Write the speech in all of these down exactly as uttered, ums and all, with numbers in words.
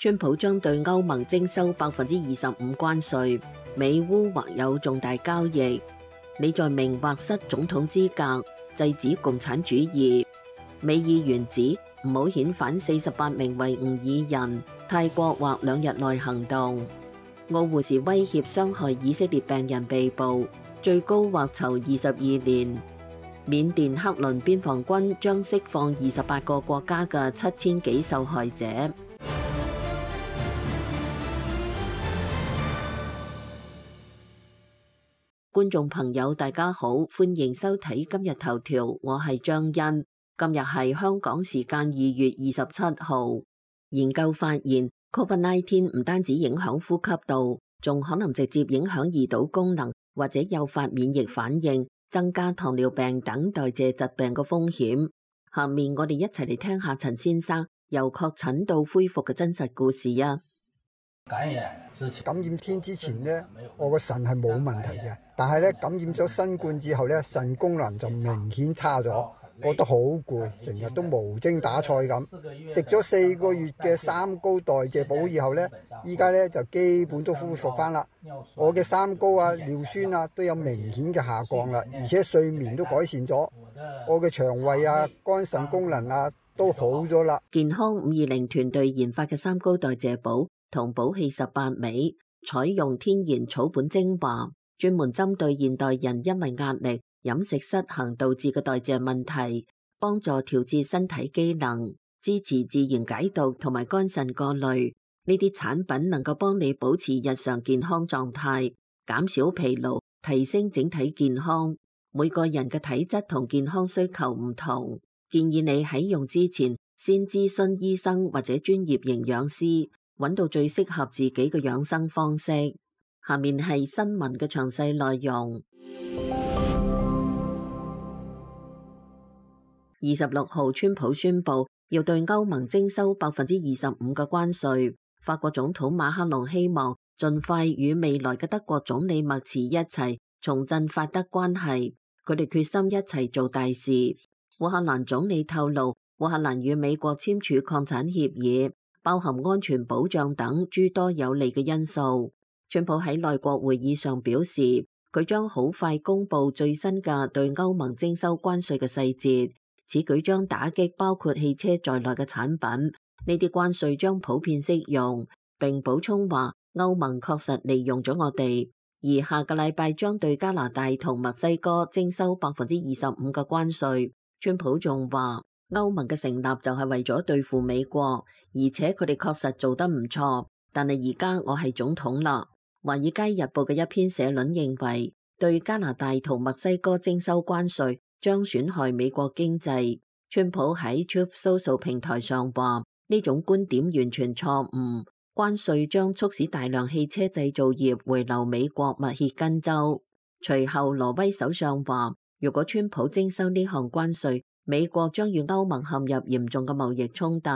川普將對歐盟徵收百分之二十五關稅，美烏或有重大交易。你在明或失總統資格，制止共產主義。美議員指唔好遣返四十八名維吾爾人，泰國或兩日內行動。澳護士威脅傷害以色列病人被捕，最高或囚二十二年。緬甸克倫邊防軍將釋放二十八個國家嘅七千幾受害者。觀眾朋友大家好，歡迎收睇今日頭條，我係張欣。今日係香港時間二月二十七號。研究發現 ，Covid 十九 唔單止影響呼吸道，仲可能直接影響胰島功能，或者誘發免疫反應，增加糖尿病等代謝疾病嘅風險。下面我哋一齊嚟聽下陳先生由確診到恢復嘅真實故事啊！感染之前，感染天之前呢，我個腎係冇問題嘅，但係咧感染咗新冠之後咧，腎功能就明顯差咗，覺得好攰，成日都無精打采咁。食咗四個月嘅三高代謝補以後咧，依家咧就基本都恢復翻啦。我嘅三高啊、尿酸啊都有明顯嘅下降啦，而且睡眠都改善咗，我嘅腸胃啊、肝腎功能啊都好咗啦。健康五二零團隊研發嘅三高代謝補同補氣十八味，採用天然草本精華，專門針對現代人因為壓力、飲食失衡導致嘅代謝問題，幫助調節身體機能，支持自然解毒同埋肝腎過濾。呢啲產品能夠幫你保持日常健康狀態，減少疲勞，提升整體健康。每個人嘅體質同健康需求唔同，建議你喺用之前先諮詢醫生或者專業營養師，揾到最適合自己嘅養生方式。下面係新聞嘅詳細內容。二十六號，川普宣布要對歐盟徵收百分之二十五嘅關稅。法國總統馬克龍希望盡快與未來嘅德國總理默茨一齊重振法德關係，佢哋決心一齊做大事。烏克蘭總理透露，烏克蘭與美國簽署礦產協議，包含安全保障等諸多有利嘅因素。川普喺內閣會議上表示，佢將好快公布最新嘅對歐盟徵收關稅嘅細節，此舉將打擊包括汽車在內嘅產品，呢啲關稅將普遍適用，並補充話歐盟確實利用咗我哋，而下個禮拜將對加拿大同墨西哥徵收百分之二十五嘅關稅。川普仲話，歐盟嘅成立就係為咗對付美國，而且佢哋確實做得唔錯。但係而家我係總統啦。華爾街日報嘅一篇社論認為，對加拿大同墨西哥徵收關稅將損害美國經濟。川普喺 Truth Social 平台上話，呢種觀點完全錯誤。關稅將促使大量汽車製造業回流美國密歇根州。隨後，挪威首相話，如果川普徵收呢項關稅，美國將與歐盟陷入嚴重嘅貿易衝突。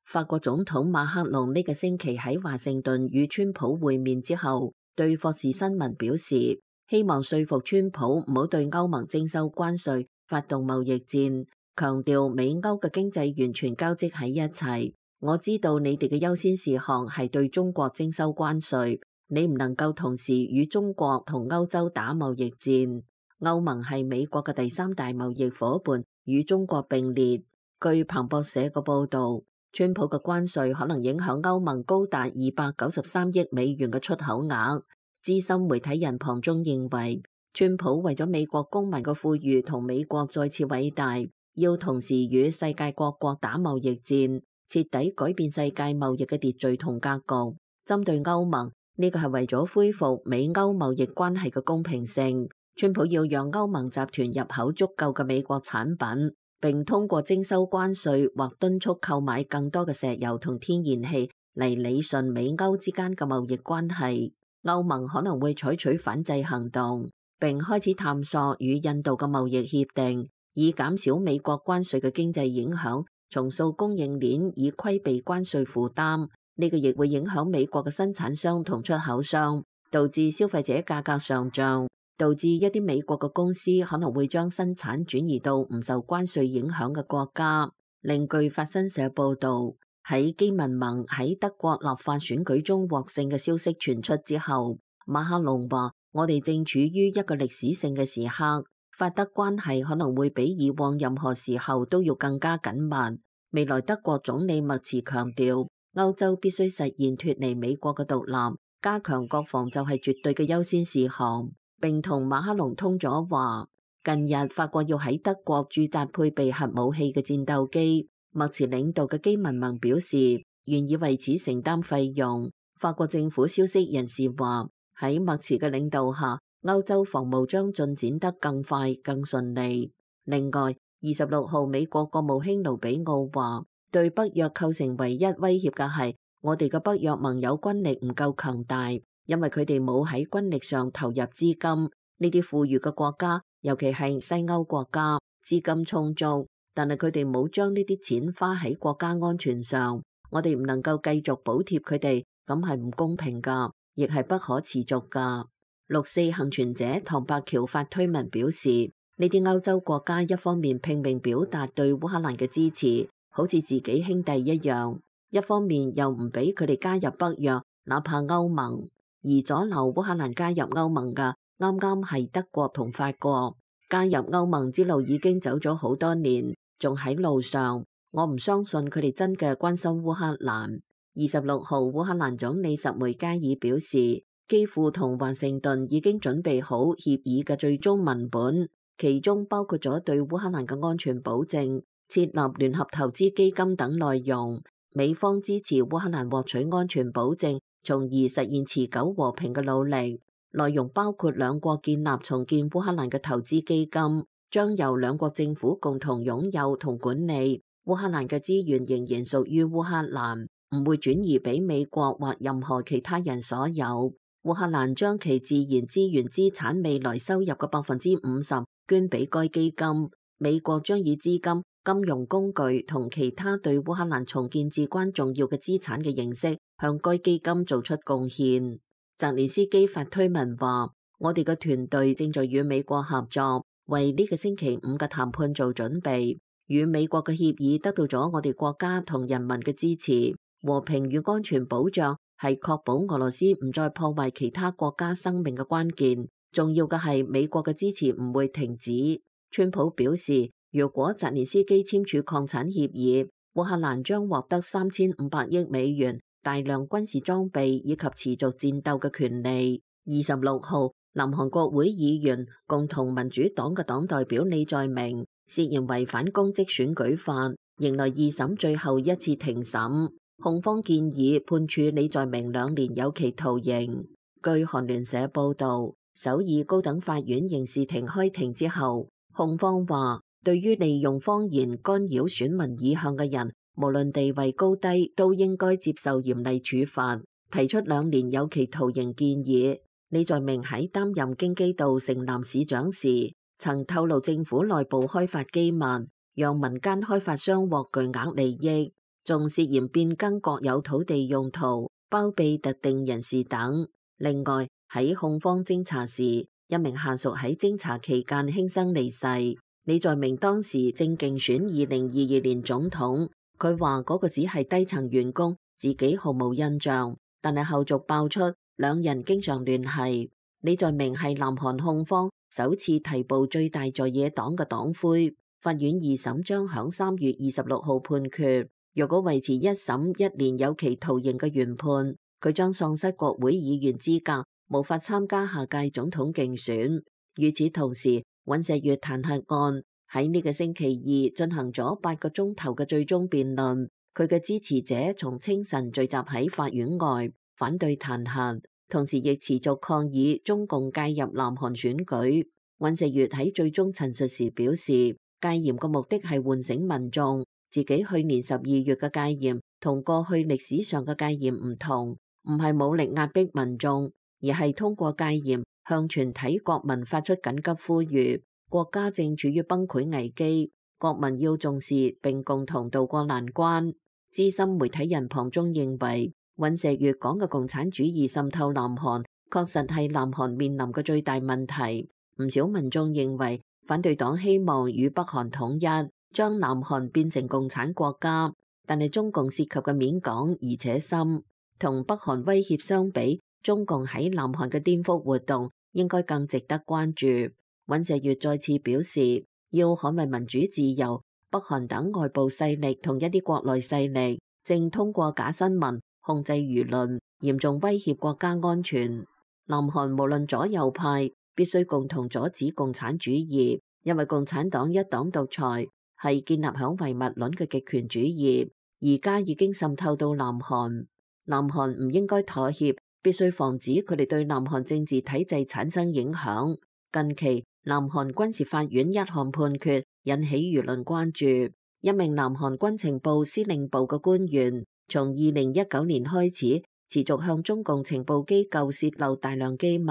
法國總統馬克龍呢個星期喺華盛頓與川普會面之後，對霍士新聞表示，希望說服川普唔好對歐盟徵收關稅，發動貿易戰，強調美歐嘅經濟完全交織喺一齊。我知道你哋嘅優先事項係對中國徵收關稅，你唔能夠同時與中國同歐洲打貿易戰。歐盟係美國嘅第三大貿易夥伴，與中國並列。據彭博社嘅報道，川普嘅關稅可能影響歐盟高達二百九十三億美元嘅出口額。資深媒體人龐中認為，川普為咗美國公民嘅富裕同美國再次偉大，要同時與世界各國打貿易戰，徹底改變世界貿易嘅秩序同格局。針對歐盟，呢個係為咗恢復美歐貿易關係嘅公平性。川普要讓歐盟集團入口足夠嘅美國產品，並通過徵收關稅或敦促購買更多嘅石油同天然氣嚟理順美歐之間嘅貿易關係。歐盟可能會採取反制行動，並開始探索與印度嘅貿易協定，以減少美國關稅嘅經濟影響，重塑供應鏈以規避關稅負擔。呢個亦會影響美國嘅生產商同出口商，導致消費者價格上漲。導致一啲美國嘅公司可能會將生產轉移到唔受關稅影響嘅國家。另據法新社報導，喺基民盟喺德國立法選舉中獲勝嘅消息傳出之後，馬克龍話：我哋正處於一個歷史性嘅時刻，法德關係可能會比以往任何時候都要更加緊密。未來德國總理默茨強調，歐洲必須實現脫離美國嘅獨立，加強國防就係絕對嘅優先事項。並同馬克龍通咗話，近日法國要喺德國駐紮配備核武器嘅戰鬥機。默茨領導嘅基民盟表示願意為此承擔費用。法國政府消息人士話，喺默茨嘅領導下，歐洲防務將進展得更快更順利。另外，二十六號美國國務卿盧比奧話，對北約構成唯一威脅嘅係我哋嘅北約盟友軍力唔夠強大，因為佢哋冇喺軍力上投入資金。呢啲富裕嘅國家，尤其係西歐國家，資金充足，但係佢哋冇將呢啲錢花喺國家安全上。我哋唔能夠繼續補貼佢哋，咁係唔公平噶，亦係不可持續噶。六四幸存者唐伯喬發推文表示，呢啲歐洲國家一方面拼命表達對烏克蘭嘅支持，好似自己兄弟一樣，一方面又唔俾佢哋加入北約，哪怕歐盟。而阻撓烏克蘭加入歐盟嘅，啱啱係德國同法國。加入歐盟之路已經走咗好多年，仲喺路上。我唔相信佢哋真嘅關心烏克蘭。二十六號，烏克蘭總理什梅加爾表示，基輔同華盛頓已經準備好協議嘅最終文本，其中包括咗對烏克蘭嘅安全保證、設立聯合投資基金等內容。美方支持烏克蘭獲取安全保證，從而實現持久和平嘅努力。內容包括兩國建立重建烏克蘭嘅投資基金，將由兩國政府共同擁有同管理。烏克蘭嘅資源仍然屬於烏克蘭，唔會轉移俾美國或任何其他人所有。烏克蘭將其自然資源資產未來收入嘅百分之五十捐俾該基金。美國將以資金、金融工具同其他對烏克蘭重建至關重要嘅資產嘅形式，向該基金做出貢獻。澤連斯基發推文話：我哋嘅團隊正在與美國合作，為呢個星期五嘅談判做準備。與美國嘅協議得到咗我哋國家同人民嘅支持。和平與安全保障係確保俄羅斯唔再破壞其他國家生命嘅關鍵。重要嘅係美國嘅支持唔會停止。川普表示，如果澤連斯基簽署擴產協議，烏克蘭將獲得三千五百億美元、大量軍事裝備以及持續戰鬥嘅權利。二十六號，南韓國會議員共同民主黨嘅黨代表李在明涉嫌違反公職選舉法，迎來二審最後一次庭審。控方建議判處李在明兩年有期徒刑。據韓聯社報導，首爾高等法院刑事庭開庭之後，控方話，對於利用謊言干擾選民意向嘅人，無論地位高低，都應該接受嚴厲處罰，提出兩年有期徒刑建議。李在明喺擔任京畿道城南市長時，曾透露政府內部開發機密，讓民間開發商獲巨額利益，仲涉嫌變更國有土地用途，包庇特定人士等。另外，喺控方偵查時，一名下屬喺偵查期間輕生離世。李在明當時正競選二零二二年總統，佢話嗰個只係低層員工，自己毫無印象。但係後續爆出兩人經常聯繫。李在明係南韓控方首次提報最大在野黨嘅黨魁。法院二審將響三月二十六號判決，若果維持一審一年有期徒刑嘅原判，佢將喪失國會議員資格，無法參加下屆總統競選。與此同時，尹錫悅彈劾案喺呢個星期二進行咗八個鐘頭嘅最終辯論，佢嘅支持者從清晨聚集喺法院外反對彈劾，同時亦持續抗議中共介入南韓選舉。尹錫悅喺最終陳述時表示，戒嚴嘅目的係喚醒民眾，自己去年十二月嘅戒嚴同過去歷史上嘅戒嚴唔同，唔係武力壓迫民眾，而係通過戒嚴向全體國民發出緊急呼籲，國家正處於崩潰危機，國民要重視並共同渡過難關。資深媒體人龐中認為，尹錫悅講嘅共產主義滲透南韓，確實係南韓面臨嘅最大問題。唔少民眾認為，反對黨希望與北韓統一，將南韓變成共產國家，但係中共涉及嘅面廣而且深，同北韓威脅相比，中共喺南韓嘅顛覆活動應該更值得關注。尹錫悅再次表示，要捍衛民主自由，北韓等外部勢力同一啲國內勢力正通過假新聞控制輿論，嚴重威脅國家安全。南韓無論左右派必須共同阻止共產主義，因為共產黨一黨獨裁係建立響唯物論嘅極權主義，而家已經滲透到南韓。南韓唔應該妥協，必須防止佢哋對南韓政治體制產生影響。近期南韓軍事法院一項判決引起輿論關注，一名南韓軍情部司令部嘅官員從二零一九年開始持續向中共情報機構洩漏大量機密，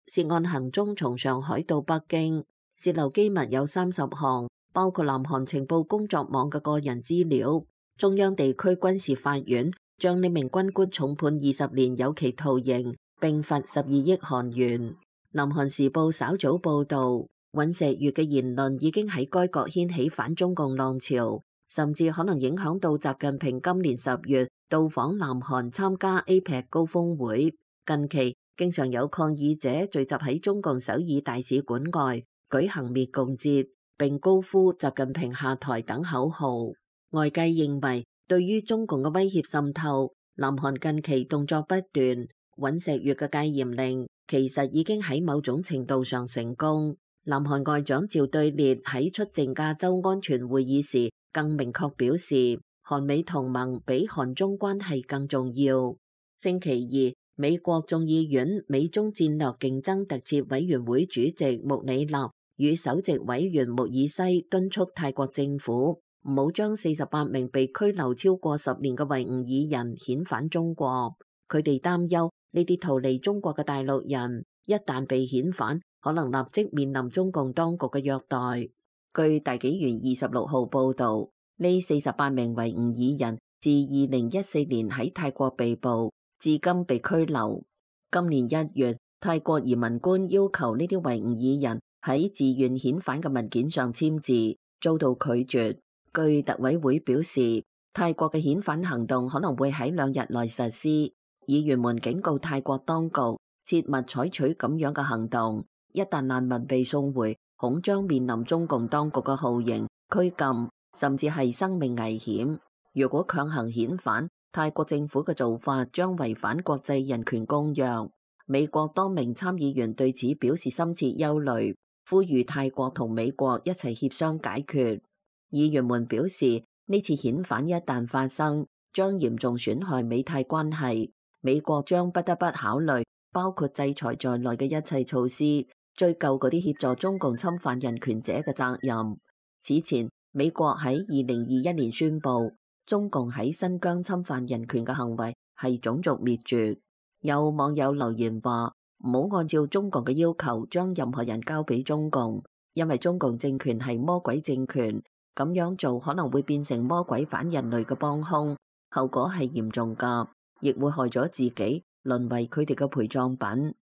涉案行蹤從上海到北京，洩漏機密有三十項，包括南韓情報工作網嘅個人資料。中央地區軍事法院將呢名軍官重判二十年有期徒刑，並罰十二億韓元。南韓時報稍早報道，尹錫悅嘅言論已經喺該國掀起反中共浪潮，甚至可能影響到習近平今年十月到訪南韓參加 A P E C 高峰會。近期經常有抗議者聚集喺中共首爾大使館外舉行滅共節，並高呼習近平下台等口號。外界認為，對於中共嘅威脅滲透，南韓近期動作不斷，尹錫悅嘅戒嚴令其實已經喺某種程度上成功。南韓外長趙對列喺出席亞洲安全會議時更明確表示，韓美同盟比韓中關係更重要。星期二，美國眾議院美中戰略競爭特設委員會主席穆里納與首席委員穆爾西敦促泰國政府唔好將四十八名被拘留超過十年嘅維吾爾人遣返中國。佢哋擔憂呢啲逃離中國嘅大陸人一旦被遣返，可能立即面臨中共當局嘅虐待。據大紀元二十六號報導，呢四十八名維吾爾人自二零一四年喺泰國被捕，至今被拘留。今年一月，泰國移民官要求呢啲維吾爾人喺自願遣返嘅文件上簽字，遭到拒絕。據特委會表示，泰國嘅遣返行動可能會喺兩日內實施。議員們警告泰國當局切勿採取咁樣嘅行動，一旦難民被送回，恐將面臨中共當局嘅酷刑、拘禁，甚至係生命危險。如果強行遣返，泰國政府嘅做法將違反國際人權公約。美國多名參議員對此表示深切憂慮，呼籲泰國同美國一齊協商解決。議員們表示，呢次遣返一旦發生，將嚴重損害美泰關係。美國將不得不考慮包括制裁在內嘅一切措施，追究嗰啲協助中共侵犯人權者嘅責任。此前，美國喺二零二一年宣布，中共喺新疆侵犯人權嘅行為係種族滅絕。有網友留言話，唔好按照中共嘅要求將任何人交俾中共，因為中共政權係魔鬼政權。咁樣做可能會變成魔鬼反人類嘅幫兇，後果係嚴重㗎，亦會害咗自己，淪為佢哋嘅陪葬品。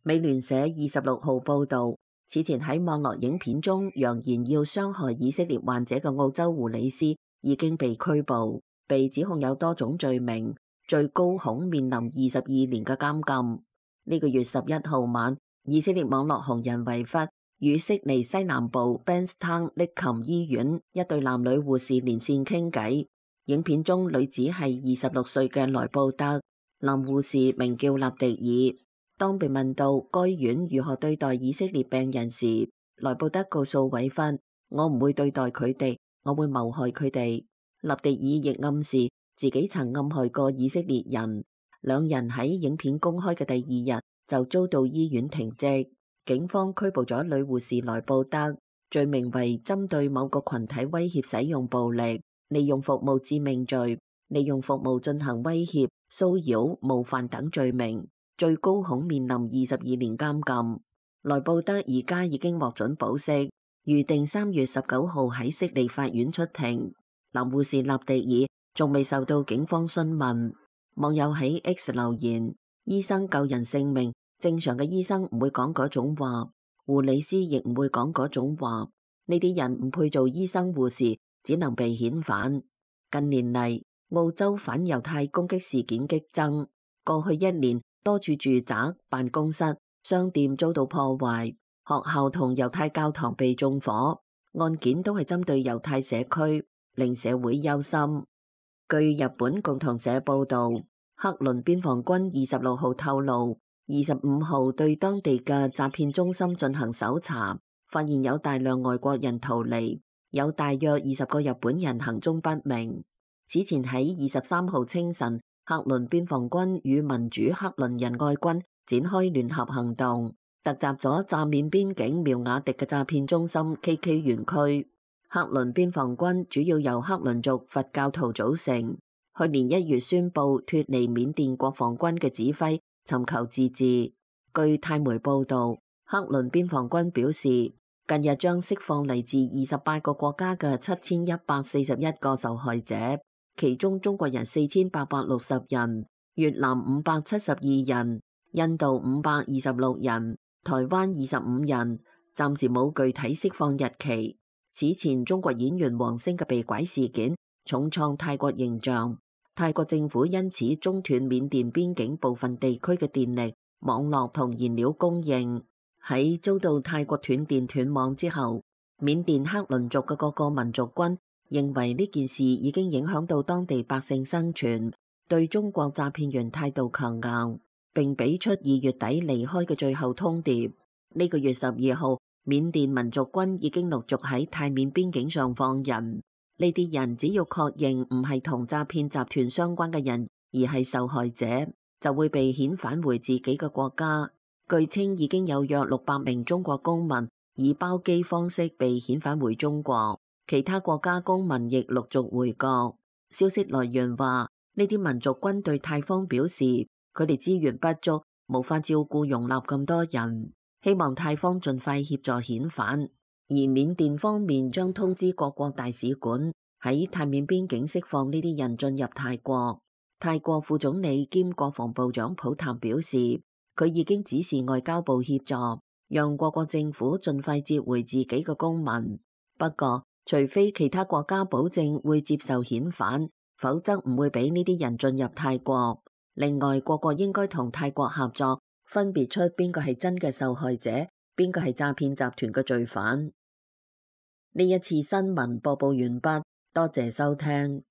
美聯社二十六號報導，此前喺網絡影片中揚言要傷害以色列患者嘅澳洲護理師已經被拘捕，被指控有多種罪名，最高恐面臨二十二年嘅監禁。呢個月十一號晚，以色列網絡紅人維弗與悉尼西南部 Bankstown 利琴醫院一對男女護士連線傾偈。影片中女子係二十六歲嘅萊布德，男護士名叫納迪爾。當被問到該院如何對待以色列病人時，萊布德告訴維弗：我唔會對待佢哋，我會謀害佢哋。納迪爾亦暗示自己曾暗害過以色列人。兩人喺影片公開嘅第二日就遭到醫院停職。警方拘捕咗女護士萊布德，罪名為針對某個群體威脅使用暴力、利用服務致命罪、利用服務進行威脅、騷擾、冒犯等罪名，最高恐面臨二十二年監禁。萊布德而家已經獲准保釋，預定三月十九號喺悉尼法院出庭。男護士納迪爾仲未受到警方詢問。網友喺 X 留言：醫生救人性命，正常嘅醫生唔會講嗰種話，護理師亦唔會講嗰種話。呢啲人唔配做醫生護士，只能被遣返。近年嚟，澳洲反猶太攻擊事件激增，過去一年多處住宅、辦公室、商店遭到破壞，學校同猶太教堂被縱火，案件都係針對猶太社區，令社會憂心。據日本共同社報道，克倫邊防軍二十六號透露，二十五號對當地嘅詐騙中心進行搜查，發現有大量外國人逃離，有大約二十個日本人行蹤不明。此前喺二十三號清晨，克倫邊防軍與民主克倫仁愛軍展開聯合行動，突襲咗乍緬邊境苗瓦迪嘅詐騙中心 K K 園區。克倫邊防軍主要由克倫族佛教徒組成，去年一月宣布脫離緬甸國防軍嘅指揮，尋求自治。據泰媒報道，克倫邊防軍表示，近日將釋放嚟自二十八個國家嘅七千一百四十一個受害者，其中中國人四千八百六十人，越南五百七十二人，印度五百二十六人，台灣二十五人，暫時冇具體釋放日期。此前中國演員王星嘅被拐事件重創泰國形象，泰國政府因此中斷緬甸邊境部分地區嘅電力、網絡同燃料供應。喺遭到泰國斷電斷網之後，緬甸克倫族嘅各個民族軍認為呢件事已經影響到當地百姓生存，對中國詐騙員態度強硬，並俾出二月底離開嘅最後通牒。呢個月十二號，緬甸民族軍已經陸續喺泰緬邊境上放人，呢啲人只要確認唔係同詐騙集團相關嘅人，而係受害者，就會被遣返回自己嘅國家。據稱已經有約六百名中國公民以包機方式被遣返回中國，其他國家公民亦陸續回國。消息來源話，呢啲民族軍對泰方表示，佢哋資源不足，無法照顧容納咁多人。希望泰方盡快協助遣返，而緬甸方面將通知各國大使館喺泰緬邊境釋放呢啲人進入泰國。泰國副總理兼國防部長普譚表示，佢已經指示外交部協助，讓各國政府盡快接回自己嘅公民。不過，除非其他國家保證會接受遣返，否則唔會俾呢啲人進入泰國。另外，各國應該同泰國合作，分別出邊個係真嘅受害者，邊個係詐騙集團嘅罪犯。呢一次新聞播報完畢，多謝收聽。